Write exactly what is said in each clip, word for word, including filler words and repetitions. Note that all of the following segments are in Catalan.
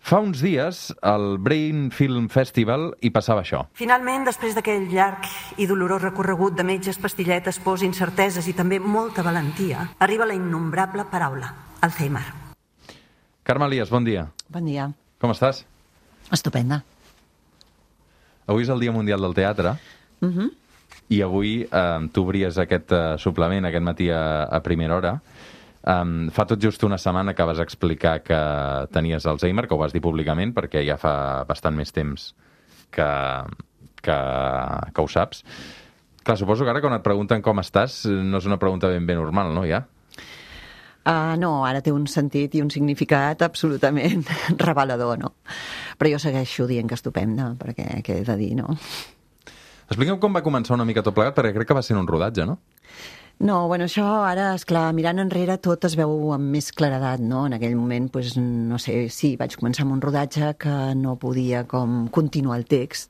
Fa uns dies, al Brain Film Festival hi passava això. Finalment, després d'aquell llarg i dolorós recorregut de metges, pastilletes, pors, incerteses i també molta valentia, arriba la innombrable paraula, Alzheimer. Carme Elias, bon dia. Bon dia. Com estàs? Estupenda. Avui és el Dia Mundial del Teatre. Uh-huh. I avui eh, tu obries aquest eh, suplement aquest matí a, a primera hora. Um, fa tot just una setmana que vas explicar que tenies Alzheimer, que ho vas dir públicament, perquè ja fa bastant més temps que, que, que ho saps. Clar, suposo que ara quan et pregunten com estàs no és una pregunta ben bé normal, no, ja? Uh, no, ara té un sentit i un significat absolutament revelador, no? Però jo segueixo dient que estupenda, perquè què he de dir, no? Explica'm com va començar una mica tot plegat, perquè crec que va ser en un rodatge, no? No, bueno, això ara, esclar, mirant enrere tot es veu amb més claredat, no? En aquell moment, pues, no sé, sí, vaig començar amb un rodatge que no podia com continuar el text,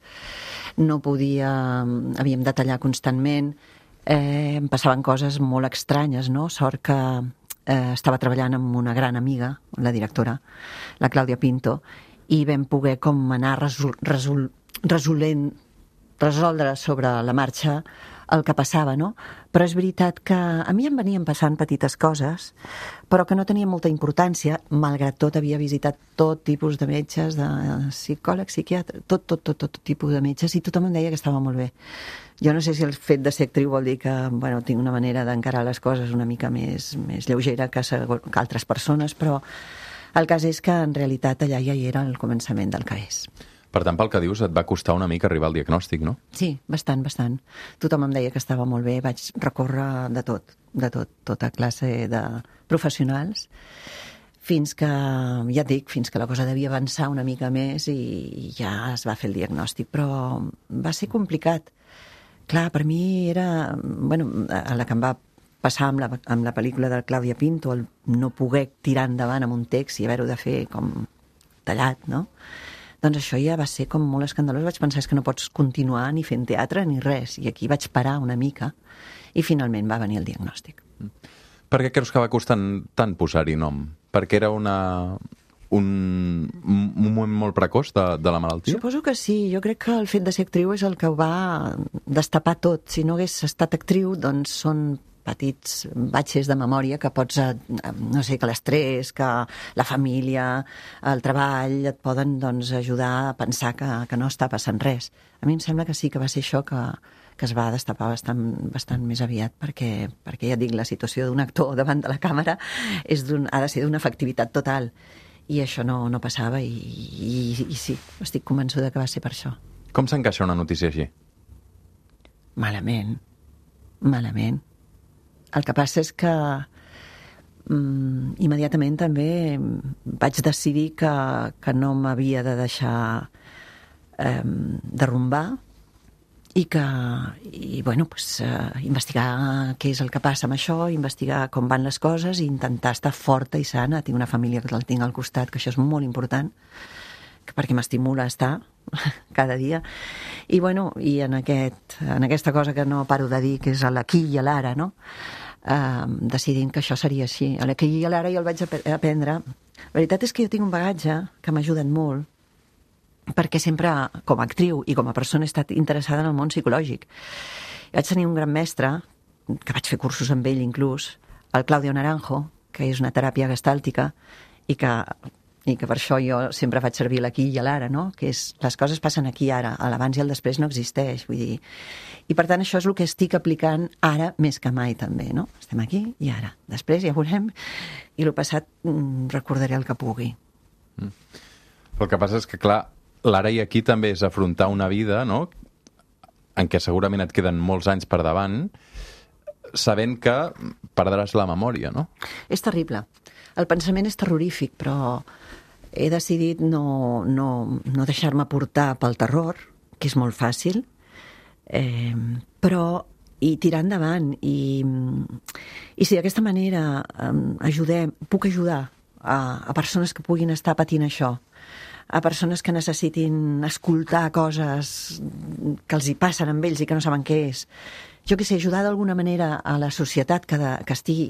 no podia, havíem de tallar constantment, eh, em passaven coses molt estranyes, no? Sort que eh, estava treballant amb una gran amiga, la directora, la Clàudia Pinto, i vam poder com anar resol, resol, resolent, resoldre sobre la marxa el que passava, no? Però és veritat que a mi em venien passant petites coses, però que no tenien molta importància, malgrat tot havia visitat tot tipus de metges, de psicòlegs, psiquiatres, tot, tot, tot, tot tipus de metges, i tothom em deia que estava molt bé. Jo no sé si el fet de ser actriu vol dir que, bueno, tinc una manera d'encarar les coses una mica més, més lleugera que, que altres persones, però el cas és que en realitat allà ja hi era el començament del que és. Per tant, pel que dius, et va costar una mica arribar al diagnòstic, no? Sí, bastant, bastant. Tothom em deia que estava molt bé, vaig recórrer de tot, de tot, tota classe de professionals, fins que, ja et dic, fins que la cosa devia avançar una mica més i ja es va fer el diagnòstic, però va ser complicat. Clar, per mi era, bueno, a la que em va passar amb la, amb la pel·lícula de Clàudia Pinto, el no poder tirar endavant amb un text i haver-ho de fer com tallat, no? Doncs això ja va ser com molt escandalós. Vaig pensar que no pots continuar ni fent teatre ni res. I aquí vaig parar una mica i finalment va venir el diagnòstic. Per què creus que va costar tant posar-hi nom? Perquè era una, un, un moment molt precoç de, de la malaltia? Suposo que sí. Jo crec que el fet de ser actriu és el que ho va destapar tot. Si no hagués estat actriu, doncs són petits batxes de memòria que pots, no sé, que l'estrès, que la família, el treball, et poden doncs, ajudar a pensar que, que no està passant res. A mi em sembla que sí que va ser això que, que es va destapar bastant, bastant més aviat, perquè, perquè ja dic, la situació d'un actor davant de la càmera és ha de ser d'una efectivitat total. I això no, no passava i, i, i sí, estic convençuda que va ser per això. Com s'encaixa una notícia així? Malament, malament. El que passa és que mm, immediatament també vaig decidir que, que no m'havia de deixar eh, derrumbar i que, i, bueno, pues, eh, investigar què és el que passa amb això, investigar com van les coses i intentar estar forta i sana. Tinc una família que el tinc al costat, que això és molt important, perquè m'estimula a estar cada dia. I, bueno, i en, aquest, en aquesta cosa que no paro de dir, que és a l'aquí i a l'ara, no? Uh, decidint que això seria així. A l'aquí i a l'ara jo el vaig aprendre. La veritat és que jo tinc un bagatge que m'ha ajudat molt, perquè sempre, com a actriu i com a persona, he estat interessada en el món psicològic. Vaig tenir un gran mestre, que vaig fer cursos amb ell inclús, el Claudio Naranjo, que és una teràpia gestàltica, i que i que per això jo sempre faig servir l'aquí i l'ara, no? Que és, les coses passen aquí ara, l'abans i el després no existeix, vull dir. I per tant això és el que estic aplicant ara més que mai també, no? Estem aquí i ara. Després ja veurem i el passat mm, recordaré el que pugui. Mm. El que passa és que, clar, l'ara i aquí també és afrontar una vida, no?, en què segurament et queden molts anys per davant, sabent que perdràs la memòria, no? És terrible. El pensament és terrorífic, però he decidit no, no, no deixar-me portar pel terror, que és molt fàcil, eh, però i tirar endavant. I, i si d'aquesta manera eh, ajudem, puc ajudar a, a persones que puguin estar patint això, a persones que necessitin escoltar coses que els hi passen amb ells i que no saben què és, jo què sé, ajudar d'alguna manera a la societat que, de, que estigui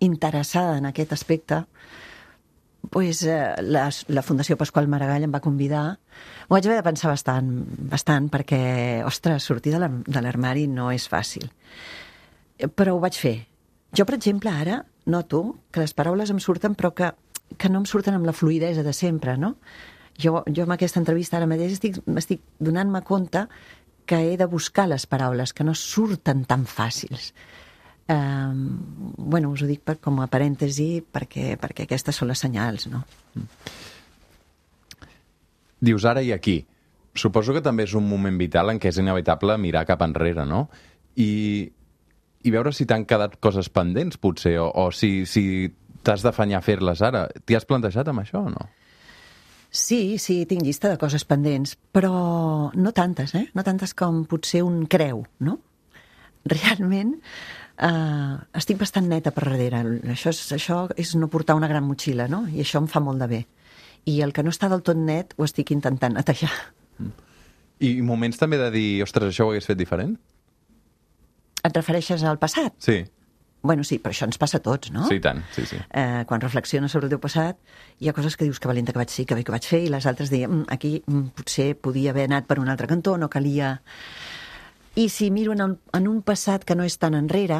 interessada en aquest aspecte, pues, eh, la, la Fundació Pasqual Maragall em va convidar. M'ho vaig haver de pensar bastant, bastant perquè, ostres, sortir de l'ar- de l'armari no és fàcil. Però ho vaig fer. Jo, per exemple, ara noto que les paraules em surten, però que, que no em surten amb la fluïdesa de sempre, no? Jo, jo amb aquesta entrevista ara mateix estic, estic donant-me compte que he de buscar les paraules, que no surten tan fàcils. Um, bueno, us ho dic per, com a parèntesi perquè, perquè aquestes són les senyals, no? Dius ara i aquí. Suposo que també és un moment vital en què és inevitable mirar cap enrere, no? I, i veure si t'han quedat coses pendents, potser, o, o si, si t'has d'afanyar a fer-les ara. T'hi has plantejat amb això o no? Sí, sí, tinc llista de coses pendents, però no tantes, eh? No tantes com potser un creu, no? Realment, eh, estic bastant neta per darrere. Això és, això és no portar una gran motxilla, no? I això em fa molt de bé. I el que no està del tot net ho estic intentant netejar. I moments també de dir, ostres, això ho hagués fet diferent? Et refereixes al passat? Sí. Bueno, sí, però això ens passa a tots, no? Sí, tant, sí, sí. Eh, quan reflexiones sobre el teu passat, hi ha coses que dius que valenta que vaig ser, que bé que vaig fer, i les altres deien, mm, aquí mm, potser podia haver anat per un altre cantó, no calia... I si miro en un, en un passat que no és tan enrere,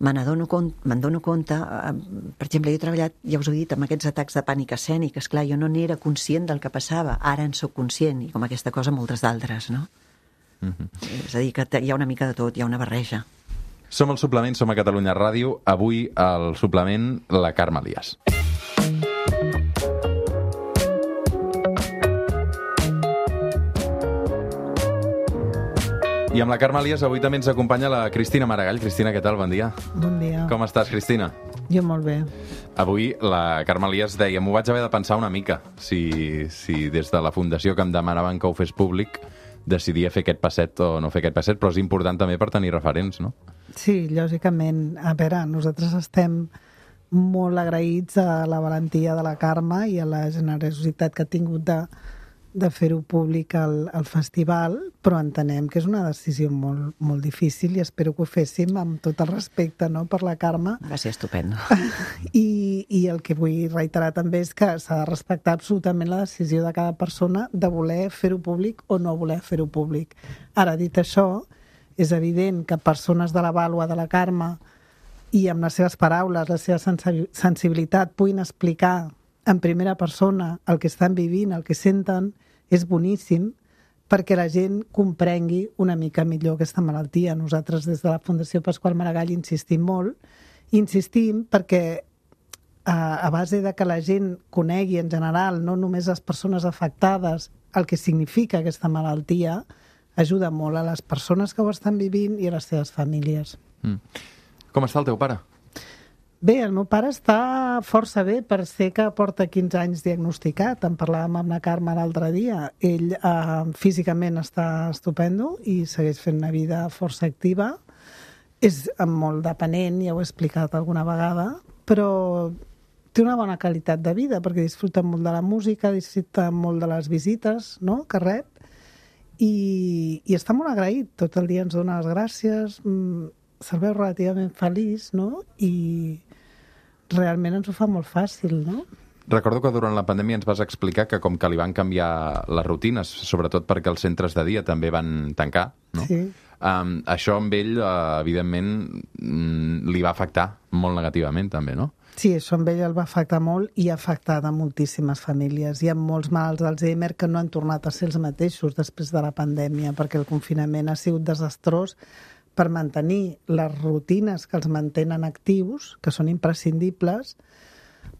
me n'adono compte, me'n dono compte, eh, per exemple, jo he treballat, ja us ho he dit, amb aquests atacs de pànic escènic, esclar, jo no n'era conscient del que passava, ara en sóc conscient, i com aquesta cosa moltes d'altres, no? Mm-hmm. És a dir, que hi ha una mica de tot, hi ha una barreja. Som al Suplement, som a Catalunya Ràdio. Avui al Suplement, la Carme Elias. I amb la Carme Elias avui també ens acompanya la Cristina Maragall. Cristina, què tal? Bon dia. Bon dia. Com estàs, Cristina? Jo molt bé. Avui la Carme Elias deia, m'ho vaig haver de pensar una mica, si, si des de la fundació que em demanaven que ho fes públic decidia fer aquest passet o no fer aquest passet, però és important també per tenir referents, no? Sí, lògicament. A veure, nosaltres estem molt agraïts a la valentia de la Carme i a la generositat que ha tingut de, de fer-ho públic al, al festival, però entenem que és una decisió molt, molt difícil i espero que ho féssim amb tot el respecte, no?, per la Carme. Va ser estupendo. I, I el que vull reiterar també és que s'ha de respectar absolutament la decisió de cada persona de voler fer-ho públic o no voler fer-ho públic. Ara, dit això, és evident que persones de la vàlua de la Carme i amb les seves paraules, la seva sensibilitat, puguin explicar en primera persona el que estan vivint, el que senten, és boníssim perquè la gent comprengui una mica millor aquesta malaltia. Nosaltres des de la Fundació Pasqual Maragall insistim molt, insistim perquè a, a base de que la gent conegui en general, no només les persones afectades, el que significa aquesta malaltia, ajuda molt a les persones que ho estan vivint i a les seves famílies. Mm. Com està el teu pare? Bé, el meu pare està força bé per ser que porta quinze anys diagnosticat. En parlàvem amb la Carme l'altre dia. Ell eh, físicament està estupendo i segueix fent una vida força activa. És molt dependent, ja ho he explicat alguna vegada, però té una bona qualitat de vida perquè disfruta molt de la música, disfruta molt de les visites, no?, que rep. I, i està molt agraït, tot el dia ens dona les gràcies, se'l veu relativament feliç, no?, i realment ens ho fa molt fàcil, no? Recordo que durant la pandèmia ens vas explicar que com que li van canviar les rutines, sobretot perquè els centres de dia també van tancar, no? Sí. Um, això amb ell, uh, evidentment, mm, li va afectar molt negativament també, no? Sí, això amb ell el va afectar molt i ha afectat a moltíssimes famílies. Hi ha molts malalts d'Alzheimer que no han tornat a ser els mateixos després de la pandèmia perquè el confinament ha sigut desastrós per mantenir les rutines que els mantenen actius, que són imprescindibles,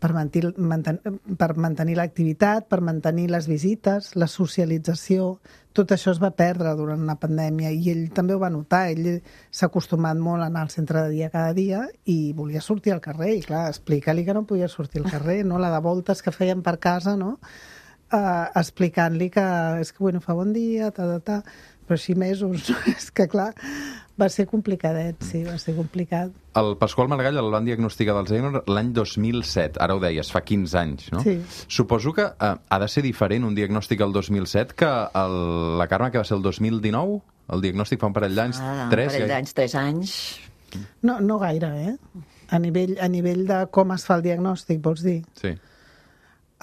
per mantenir, manten, per mantenir l'activitat, per mantenir les visites, la socialització. Tot això es va perdre durant la pandèmia i ell també ho va notar. Ell s'ha acostumat molt a anar al centre de dia cada dia i volia sortir al carrer. I clar, explicar-li que no podia sortir al carrer, no? La de voltes que feien per casa, no? Uh, explicant-li que és que bueno, fa bon dia, ta, ta, ta, però així mesos, és que clar, va ser complicadet, sí, va ser complicat. El Pasqual Maragall el van diagnosticar d'Alzheimer l'any dos mil set, ara ho deies, fa quinze anys, no? Sí. Suposo que eh, ha de ser diferent un diagnòstic el dos mil set que el, la Carme, que va ser el dos mil dinou? El diagnòstic fa un parell d'anys? Ah, tres? un parell d'anys, tres anys. No, no gaire, eh? A nivell, a nivell de com es fa el diagnòstic, vols dir? Sí.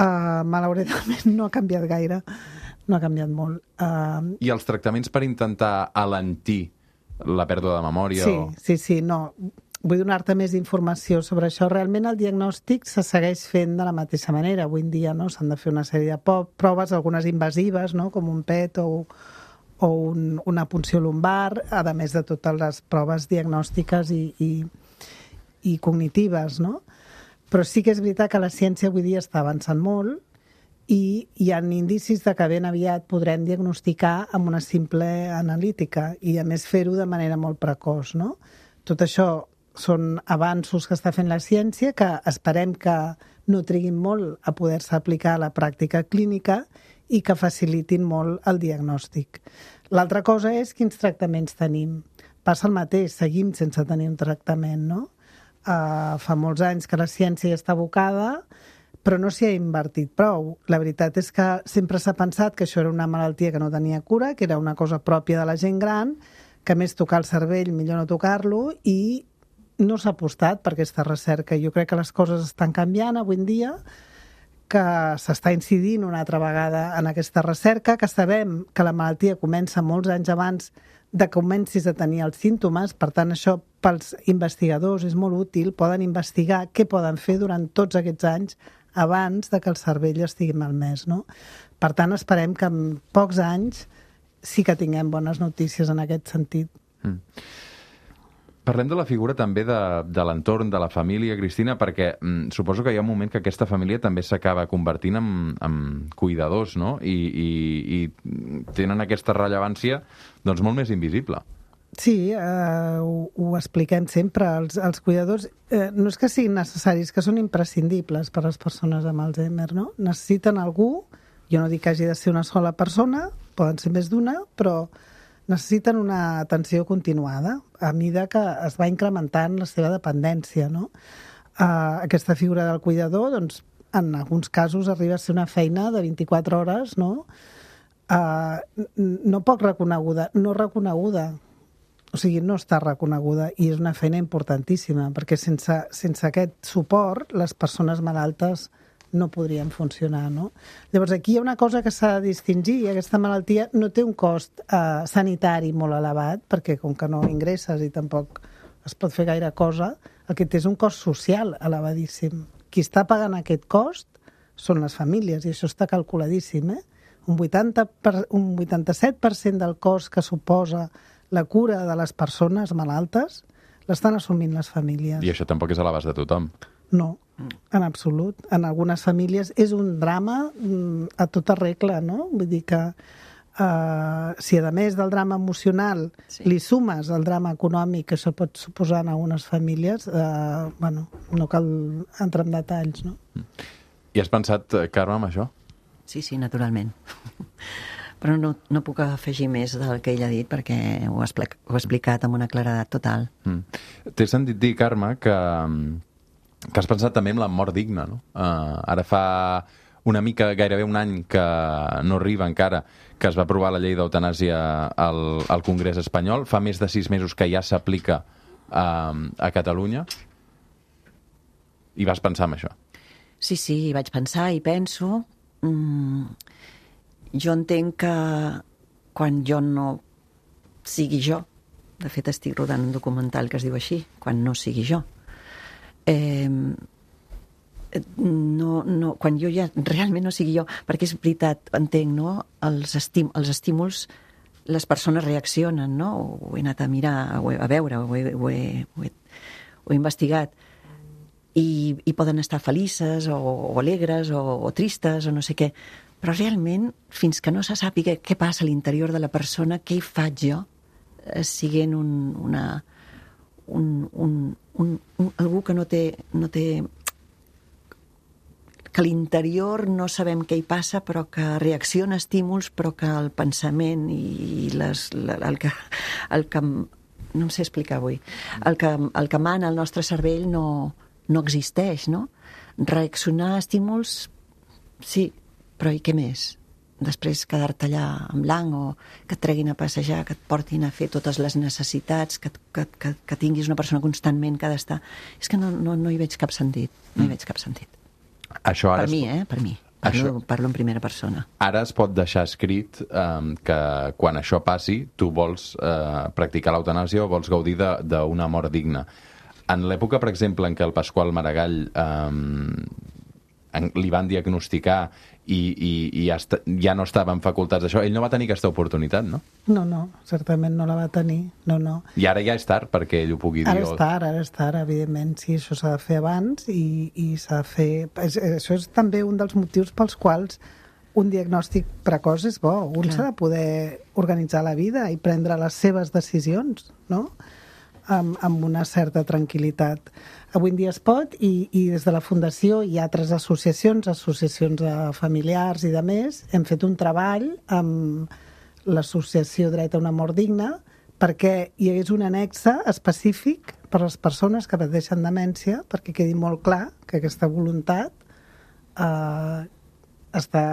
Uh, malauradament no ha canviat gaire, no ha canviat molt. Uh, I els tractaments per intentar alentir la pèrdua de memòria? Sí, o... sí, sí, no. Vull donar-te més informació sobre això. Realment el diagnòstic se segueix fent de la mateixa manera. Avui en dia no s'han de fer una sèrie de proves, algunes invasives, no? Com un P E T o, o un, una punció lumbar, a més de totes les proves diagnòstiques i, i, i cognitives, no? Però sí que és veritat que la ciència avui dia està avançant molt i hi ha indicis de que ben aviat podrem diagnosticar amb una simple analítica i, a més, fer-ho de manera molt precoç, no? Tot això són avanços que està fent la ciència que esperem que no triguin molt a poder-se aplicar a la pràctica clínica i que facilitin molt el diagnòstic. L'altra cosa és quins tractaments tenim. Passa el mateix, seguim sense tenir un tractament, no? Uh, fa molts anys que la ciència ja està abocada, però no s'hi ha invertit prou. La veritat és que sempre s'ha pensat que això era una malaltia que no tenia cura, que era una cosa pròpia de la gent gran, que més tocar el cervell, millor no tocar-lo, i no s'ha apostat per aquesta recerca. Jo crec que les coses estan canviant avui en dia, que s'està incidint una altra vegada en aquesta recerca, que sabem que la malaltia comença molts anys abans de que comencis a tenir els símptomes, per tant això pels investigadors és molt útil, poden investigar què poden fer durant tots aquests anys abans de que el cervell estigui malmès, no? Per tant, esperem que en pocs anys sí que tinguem bones notícies en aquest sentit. Mm. Parlem de la figura també de, de l'entorn, de la família, Cristina, perquè mm, suposo que hi ha un moment que aquesta família també s'acaba convertint en, en cuidadors, no? I, i, i tenen aquesta rellevància doncs, molt més invisible. Sí, eh, ho, ho expliquem sempre. Els, els cuidadors eh, no és que siguin necessaris, que són imprescindibles per a les persones amb Alzheimer, no? Necessiten algú, jo no dic que hagi de ser una sola persona, poden ser més d'una, però necessiten una atenció continuada a mida que es va incrementant la seva dependència, no? Uh, aquesta figura del cuidador, doncs, en alguns casos arriba a ser una feina de vint-i-quatre hores, no? Uh, no poc reconeguda, no reconeguda. O sigui, no està reconeguda i és una feina importantíssima, perquè sense, sense aquest suport les persones malaltes no podrien funcionar, no? Llavors, aquí hi ha una cosa que s'ha de distingir. Aquesta malaltia no té un cost eh, sanitari molt elevat, perquè com que no ingresses i tampoc es pot fer gaire cosa, el que té és un cost social elevadíssim. Qui està pagant aquest cost són les famílies, i això està calculadíssim, eh? Un, vuitanta per, un vuitanta-set per cent del cost que suposa la cura de les persones malaltes l'estan assumint les famílies. I això tampoc és a l'abast de tothom. No, en absolut. En algunes famílies és un drama a tota regla, no? Vull dir que uh, si a més del drama emocional sí. li sumes el drama econòmic que això pot suposar en algunes famílies, uh, bueno, no cal entrar en detalls, no? I has pensat, Carme, amb això? Sí, sí, naturalment. Però no, no puc afegir més del que ell ha dit perquè ho ha explicat, ho ha explicat amb una claredat total. Mm. T'he sentit dir, Carme, que... que has pensat també en la mort digna, no? Uh, ara fa una mica, gairebé un any que no arriba encara, que es va aprovar la llei d'eutanàsia al, al Congrés espanyol. Fa més de sis mesos que ja s'aplica uh, a Catalunya. I vas pensar en això? Sí, sí, vaig pensar i penso. Mm, jo entenc que quan jo no sigui jo, de fet estic rodant un documental que es diu així, quan no sigui jo, Eh, no, no, quan jo ja realment no sigui jo, perquè és veritat, entenc, no? Els, estim, els estímuls, les persones reaccionen, no? Ho he anat a mirar, ho he, a veure, ho he, ho he, ho he, ho he investigat, i, i poden estar felices o, o alegres o, o tristes o no sé què, però realment, fins que no se sàpiga què passa a l'interior de la persona, què hi faig jo, eh, siguent un, una... Un, un, un, un, algú que no té, no té que a l'interior no sabem què hi passa, però que reacciona a estímuls, però que el pensament i les, el, que, el que no em sé explicar avui el que, el que mana el nostre cervell no, no existeix, no? Reaccionar a estímuls sí, però i què més? Després quedar-te allà en blanc o que et treguin a passejar, que et portin a fer totes les necessitats, que, que, que, que tinguis una persona constantment que ha d'estar... És que no, no, no hi veig cap sentit. No hi veig cap sentit. Això ara per mi, eh? Per mi. Parlo, això... parlo en primera persona. Ara es pot deixar escrit eh, que quan això passi tu vols eh, practicar l'eutanàsia o vols gaudir d'una mort digna. En l'època, per exemple, en què el Pasqual Maragall eh, li van diagnosticar i, i, i ja, esta, ja no estava en facultats d'això, ell no va tenir aquesta oportunitat, no? No, no, certament no la va tenir, no, no. I ara ja és tard perquè ell ho pugui dir. Ara és tard, ara és tard, evidentment, sí, això s'ha de fer abans i, i s'ha de fer... És, això és també un dels motius pels quals un diagnòstic precoç és bo. Un s'ha de poder organitzar la vida i prendre les seves decisions, no?, amb, amb una certa tranquil·litat. Avui en dia es pot i, i des de la Fundació i altres associacions, associacions de familiars i de més, hem fet un treball amb l'associació Dret a una mort digna perquè hi hagués un annexe específic per a les persones que pateixen demència, perquè quedi molt clar que aquesta voluntat eh, està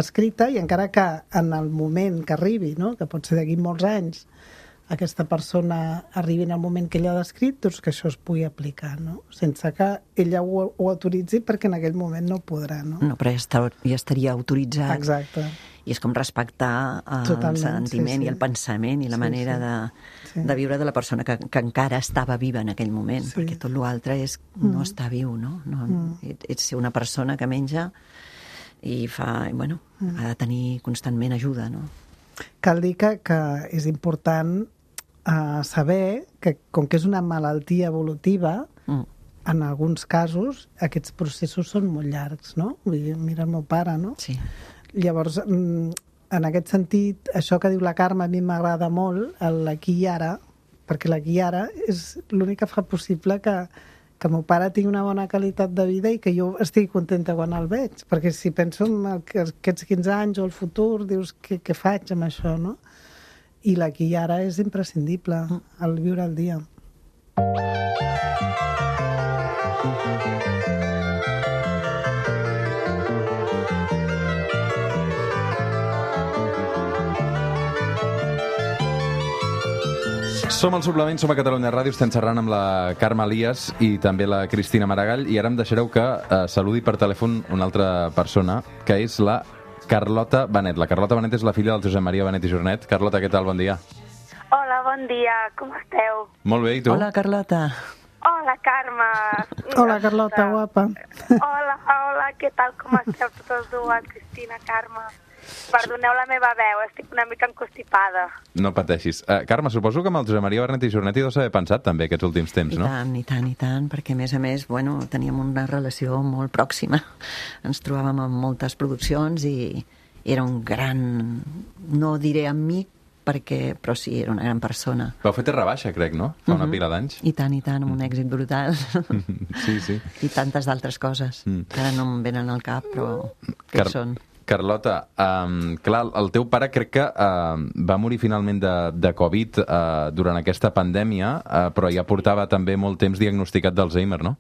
escrita i encara que en el moment que arribi, no?, que pot ser d'aquí molts anys, aquesta persona arribi en el moment que ella ha descrit, doncs que això es pugui aplicar, no? Sense que ella ho, ho autoritzi perquè en aquell moment no podrà, no? No, però ja, està, ja estaria autoritzat. Exacte. I és com respectar el Totalment, sentiment sí, sí. i el pensament i la sí, manera sí. De, sí. de viure de la persona que, que encara estava viva en aquell moment, Sí. perquè tot l'altre és no Mm. està viu, no? no Mm. Ets una persona que menja i fa, bueno, Mm. ha de tenir constantment ajuda, no? Cal dir que, que és important uh, saber que, com que és una malaltia evolutiva, Mm. en alguns casos aquests processos són molt llargs, no? Vull dir, mira el meu pare, no? Sí. Llavors, mm, en aquest sentit, això que diu la Carme a mi m'agrada molt, l'aquí i ara, perquè l'aquí i ara és l'únic que fa possible que, que el meu pare tingui una bona qualitat de vida i que jo estigui contenta quan el veig, perquè si penso en el, aquests quinze anys o el futur, dius, què, què faig amb això, no? I l'aquí i ara és imprescindible, el viure el dia. Som al Suplement, som a Catalunya Ràdio, estem xerrant amb la Carme Elias i també la Cristina Maragall, i ara em deixareu que eh, saludi per telèfon una altra persona, que és la Carlota Benet. La Carlota Benet és la filla del Josep Maria Benet i Jornet. Carlota, què tal? Bon dia. Hola, bon dia, com esteu? Molt bé, i tu? Hola, Carlota. Hola, Carme. Hola, Carlota, guapa. Hola, hola, què tal, com esteu totes dues, Cristina, Carme? Perdoneu la meva veu, estic una mica encostipada. No pateixis. Uh, Carme, suposo que amb el Josep Maria Benet i Jornet hi deus haver pensat també aquests últims temps, I no? tant, i tant, i tant, perquè a més a més, bueno, teníem una relació molt pròxima. Ens trobàvem en moltes produccions i era un gran, no diré amic, perquè, però sí, era una gran persona. Vau fer Terra Baixa, crec, no? Fa una Mhm. pila d'anys. I tant, i tant, amb un èxit brutal. Sí, sí. I tantes d'altres coses, Mm. que ara no em venen al cap, però què Car- són? Carlota, um, clar, el teu pare crec que uh, va morir finalment de, de Covid uh, durant aquesta pandèmia, uh, però ja portava també molt temps diagnosticat d'Alzheimer, no?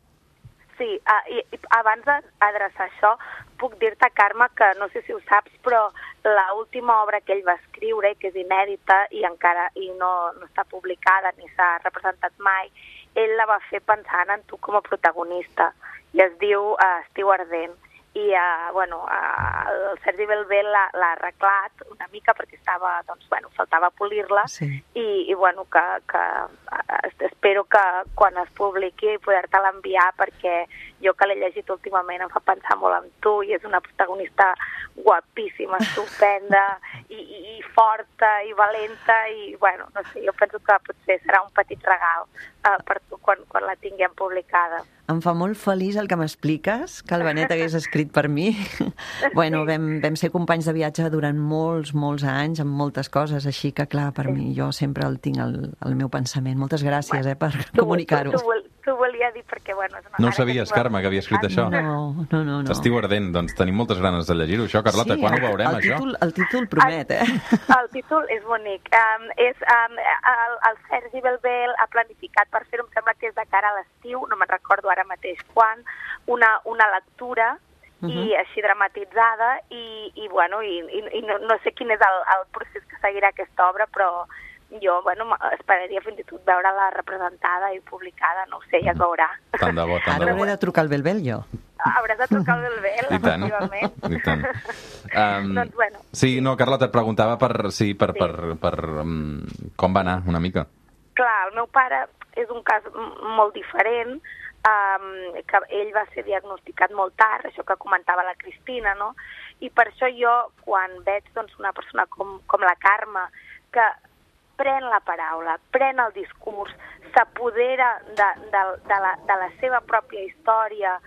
Sí, uh, i, i abans d'adreçar això, puc dir-te, Carme, que no sé si ho saps, però l'última obra que ell va escriure, que és inèdita i encara i no, no està publicada ni s'ha representat mai, ell la va fer pensant en tu com a protagonista, i es diu uh, Estiu ardent. I uh, bueno, uh, el Sergi Belbé l'ha arreglat una mica perquè estava, doncs, bueno, faltava polir-la, Sí. i, i bueno, que, que uh, espero que quan es publiqui poder-te-la enviar, perquè jo que l'he llegit últimament em fa pensar molt en tu i és una protagonista guapíssima, estupenda i, i, i forta i valenta i bueno, no sé, jo penso que potser serà un petit regal uh, per tu quan, quan la tinguem publicada. Em fa molt feliç el que m'expliques, que el Benet hagués escrit per mi. Bueno, vam, vam ser companys de viatge durant molts, molts anys, amb moltes coses, així que, clar, per mi, jo sempre el tinc al, al meu pensament. Moltes gràcies, eh, per comunicar-ho. Tu, tu, tu volia dir perquè, bueno... És una, No ho sabies, Carme, que havia escrit això? No, no, no. no. Estiu ardent, doncs tenim moltes ganes de llegir-ho, això. Carlota, Sí, quan ho veurem, el això? títol, el títol promet, eh? El títol és bonic. Um, és, um, el, el Sergi Belbé ha planificat per fer-ho, em sembla que és de cara a l'estiu, no me'n recordo ara mateix quan, una, una lectura uh -huh. i així dramatitzada i, i bueno, i, i, i no, no sé quin és el, el procés que seguirà aquesta obra, però jo, bueno, esperaria fins i tot veure-la representada i publicada, no ho sé, ja es veurà. Tant de bo, tant Ara de hauré bo. de trucar al Belbel, jo. Hauràs de trucar el Bel, I tant, efectivament. i tant. Um, doncs, bueno. Sí, no, Carlota, et preguntava per, sí, per, Sí. per, per um, com va anar una mica. Clar, el meu pare és un cas molt diferent, um, que ell va ser diagnosticat molt tard, això que comentava la Cristina, no? I per això jo, quan veig doncs, una persona com, com la Carme, que pren la paraula, pren el discurs, s'apodera de, de, de, la, de la seva pròpia història,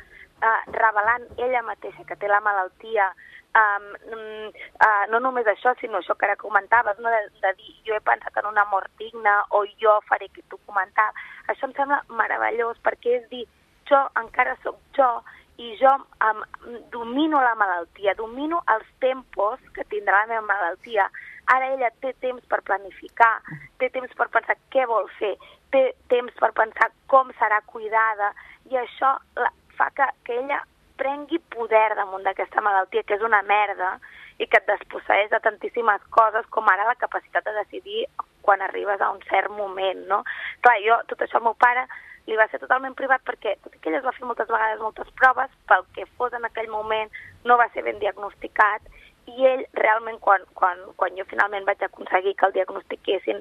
eh, revelant ella mateixa que té la malaltia, Um, uh, no només això, sinó això que ara comentaves, no? de, de dir jo he pensat en una mort digna o jo faré que tu comentaves. Això em sembla meravellós perquè és dir, jo encara sóc jo i jo um, domino la malaltia, domino els tempos que tindrà la meva malaltia. Ara ella té temps per planificar, té temps per pensar què vol fer, té temps per pensar com serà cuidada i això la, fa que, que ella prengui poder damunt d'aquesta malaltia, que és una merda, i que et desposseeix de tantíssimes coses, com ara la capacitat de decidir quan arribes a un cert moment, no? Clar, jo, tot això al meu pare li va ser totalment privat perquè, tot i que ell es va fer moltes vegades moltes proves, pel que fos en aquell moment no va ser ben diagnosticat, i ell realment, quan, quan, quan jo finalment vaig aconseguir que el diagnostiquessin,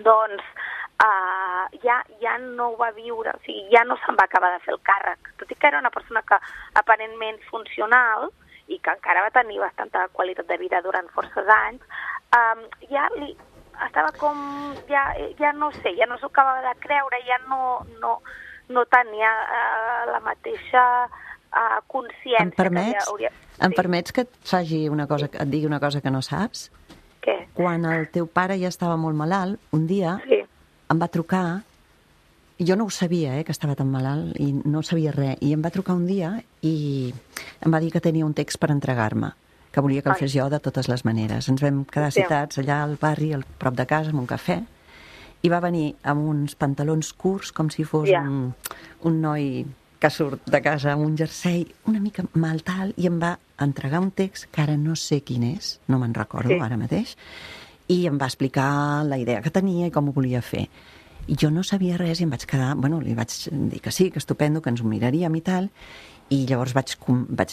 doncs uh, ja, ja no ho va viure, o sigui, ja no se'n va acabar de fer el càrrec. Tot i que era una persona que aparentment funcional i que encara va tenir bastanta qualitat de vida durant forces anys, um, ja li estava com, ja, ja no sé, ja no s'ho acabava de creure, ja no, no, no tenia uh, la mateixa uh, consciència. Em permets, que hauria... em sí. permets que et faci una cosa, et digui una cosa que no saps? Què? Quan el teu pare ja estava molt malalt, un dia Sí. em va trucar, i jo no ho sabia, eh, que estava tan malalt, i no sabia res, i em va trucar un dia i em va dir que tenia un text per entregar-me, que volia que el Ai. fes jo de totes les maneres. Ens vam quedar Sí. citats allà al barri, al prop de casa, amb un cafè, i va venir amb uns pantalons curts, com si fos Ja. un, un noi que surt de casa amb un jersei una mica mal tal, i em va entregar un text que ara no sé quin és, no me'n recordo Sí. ara mateix, i em va explicar la idea que tenia i com ho volia fer. I jo no sabia res i em vaig quedar... Bueno, li vaig dir que sí, que estupendo, que ens ho miraríem i tal, i llavors vaig, vaig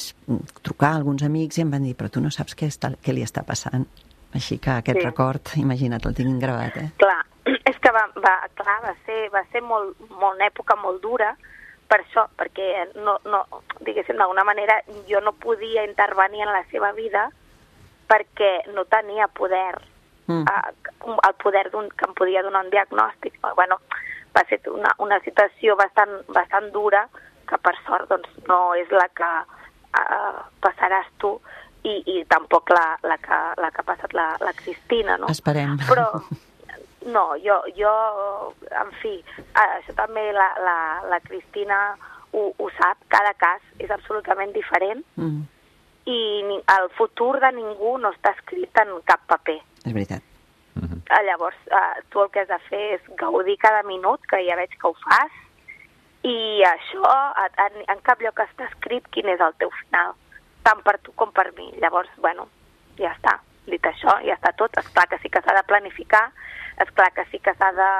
trucar a alguns amics i em van dir, però tu no saps què, està, què li està passant. Així que aquest Sí. record, imagina't, el tinc gravat, eh? Clar, és que va, va, clar, va ser, va ser molt, molt, una època molt dura per això, perquè no, no, diguéssim, d'alguna manera jo no podia intervenir en la seva vida perquè no tenia poder, Mm. uh, el poder d'un, que em podia donar un diagnòstic. Bueno, va ser una, una situació bastant, bastant dura que per sort doncs, no és la que uh, passaràs tu i, i tampoc la, la, que, la que ha passat la, la Cristina, no? Esperem. Però no, jo, jo en fi, això també la, la, la Cristina ho, ho sap, cada cas és absolutament diferent Mm. i ni, el futur de ningú no està escrit en cap paper. És veritat. Uh-huh. Llavors, eh, tu el que has de fer és gaudir cada minut, que ja veig que ho fas, i això, en, en cap lloc està escrit quin és el teu final, tant per tu com per mi. Llavors, bueno, ja està. Dit això, ja està tot. Esclar que sí que s'ha de planificar, esclar que sí que s'ha de...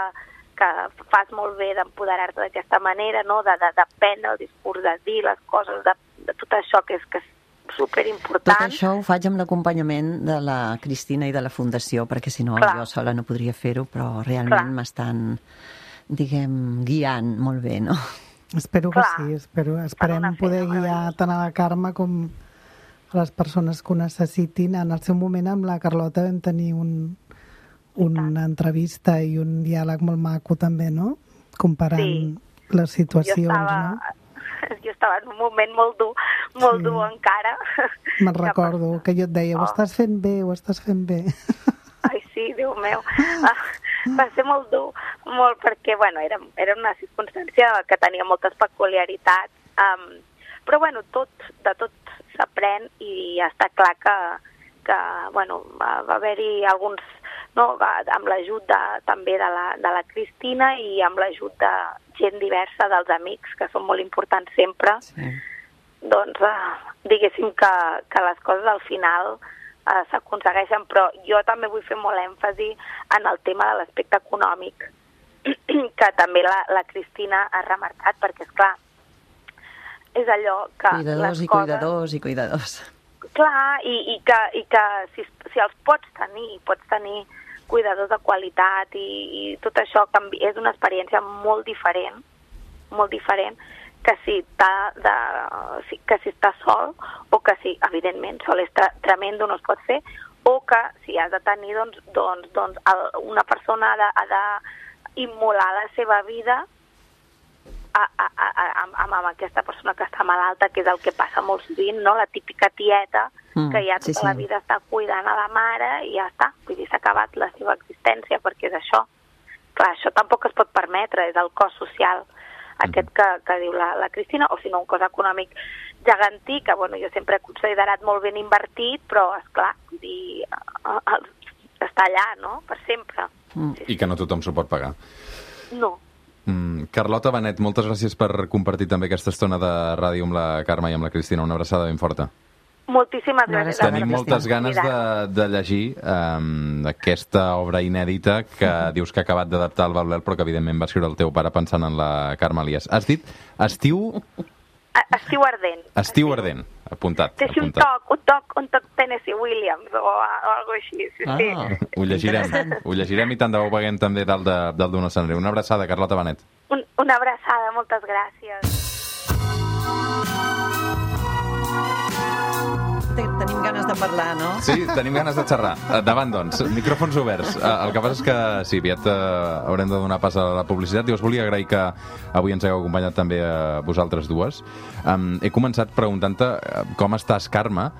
que fas molt bé d'empoderar-te d'aquesta manera, no? de, de, de prendre el discurs, de dir les coses, de, de tot això que és, que és superimportant. Tot això ho faig amb l'acompanyament de la Cristina i de la Fundació, perquè si no Clar. jo sola no podria fer-ho, però realment m'estan, diguem, guiant molt bé, no? Espero que Clar. sí, espero, esperem una poder feina guiar meravellosa. tant a la Carme com a les persones que ho necessitin. En el seu moment amb la Carlota vam tenir un, una entrevista i un diàleg molt maco també, no? Comparant Sí. les situacions, jo estava, no? jo estava en un moment molt dur, molt Sí. dur encara. Me'n recordo que jo et deia, ho Oh. estàs fent bé, ho estàs fent bé. Ai, sí, Déu meu. Ah, va ser molt dur, molt, perquè, bueno, era, era una circumstància que tenia moltes peculiaritats, um, però, bueno, tot, de tot s'aprèn i ja està clar que, que bueno, va, va haver-hi alguns, no, va, amb l'ajut de, també de la, de la Cristina i amb l'ajut de gent diversa, dels amics, que són molt importants sempre, Sí. doncs, uh, diguéssim que, que les coses al final uh, s'aconsegueixen, però jo també vull fer molt èmfasi en el tema de l'aspecte econòmic, que també la, la Cristina ha remarcat, perquè, esclar, és allò que Cuidadors les i coses... cuidadors i cuidadors. Clar, i, i que, i que si, si els pots tenir, pots tenir cuidadors de qualitat i, i tot això canvi, és una experiència molt diferent, molt diferent que si, de, si, que si estàs sol o que si, evidentment, sol és tre tremendo, no es pot fer, o que si has de tenir, doncs, doncs, doncs el, una persona ha de, ha de immolar la seva vida a, a, a, a, amb, amb aquesta persona que està malalta, que és el que passa molt sovint, no? La típica tieta mm, que ja tota sí, sí. la vida està cuidant a la mare i ja està, vull dir, s'ha acabat la seva existència, perquè és això. Clar, això tampoc es pot permetre, és el cost social aquest que, que diu la, la Cristina, o si no un cost econòmic gegantí, que bueno, jo sempre he considerat molt ben invertit, però esclar, vull dir, està allà, no?, per sempre. Mm. Sí, sí. I que no tothom s'ho pot pagar. No. Mm, Carlota Benet, moltes gràcies per compartir també aquesta estona de ràdio amb la Carme i amb la Cristina. Una abraçada ben forta. Moltíssimes gràcies. Tenim moltes ganes de, de llegir um, aquesta obra inèdita que dius que ha acabat d'adaptar el Baulel, però que evidentment va escriure el teu pare pensant en la Carme Elias. Has dit estiu... Estiu ardent. Estiu ardent, apuntat. Té un toc, un toc, un toc Tennessee Williams o, o algo així. Sí, ah, sí. Ho llegirem, ho llegirem i tant de bo veiem també dalt de, dalt d'un escenari. Una abraçada, Carlota Benet. Un, una abraçada, moltes gràcies. Tenim ganes de parlar, no? Sí, tenim ganes de xerrar. Davant, doncs, micròfons oberts. El que passa és que, sí, aviat uh, haurem de donar pas a la publicitat. I us volia agrair que avui ens hagueu acompanyat també a vosaltres dues. Um, he començat preguntant-te com estàs, Carme.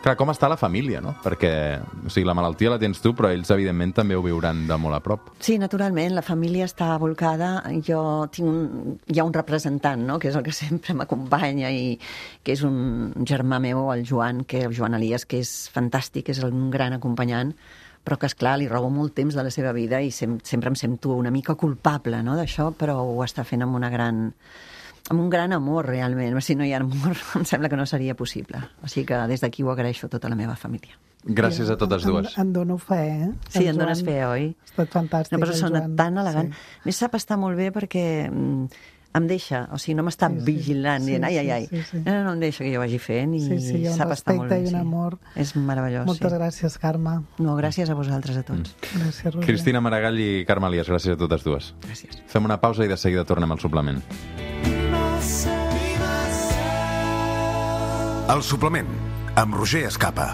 Clar, com està la família, no? Perquè, o sigui, la malaltia la tens tu, però ells, evidentment, també ho viuran de molt a prop. Sí, naturalment, la família està volcada. Jo tinc un, hi ha un representant, no?, que és el que sempre m'acompanya i que és un germà meu, el Joan, que el Joan Elias, que és fantàstic, és un gran acompanyant, però que, esclar, li robo molt temps de la seva vida i sem sempre em sento una mica culpable, no?, d'això, però ho està fent amb una gran... amb un gran amor, realment. Si no hi ha amor, em sembla que no seria possible. O sigui que des d'aquí ho agraeixo a tota la meva família. Gràcies a totes dues. En, en dono fe, eh? Sí, en dones fe, oi? Ha estat fantàstic. Una persona tan elegant. Sí. Més sap estar molt bé perquè em deixa, o sigui, no m'està sí, sí, vigilant, dient, ai, ai, ai. Sí, sí. No, no, no em deixa que jo vagi fent i sí, sí, sap estar molt bé. Sí, sí, hi ha un respecte i un amor. És meravellós, Moltes sí. gràcies, Carme. No, gràcies a vosaltres, a tots. Mm. Gràcies, Roger. Cristina Maragall i Carme Elias, gràcies a totes dues. Gràcies. Fem una pausa i de seguida tornem al suplement. El suplement, amb Roger Escapa.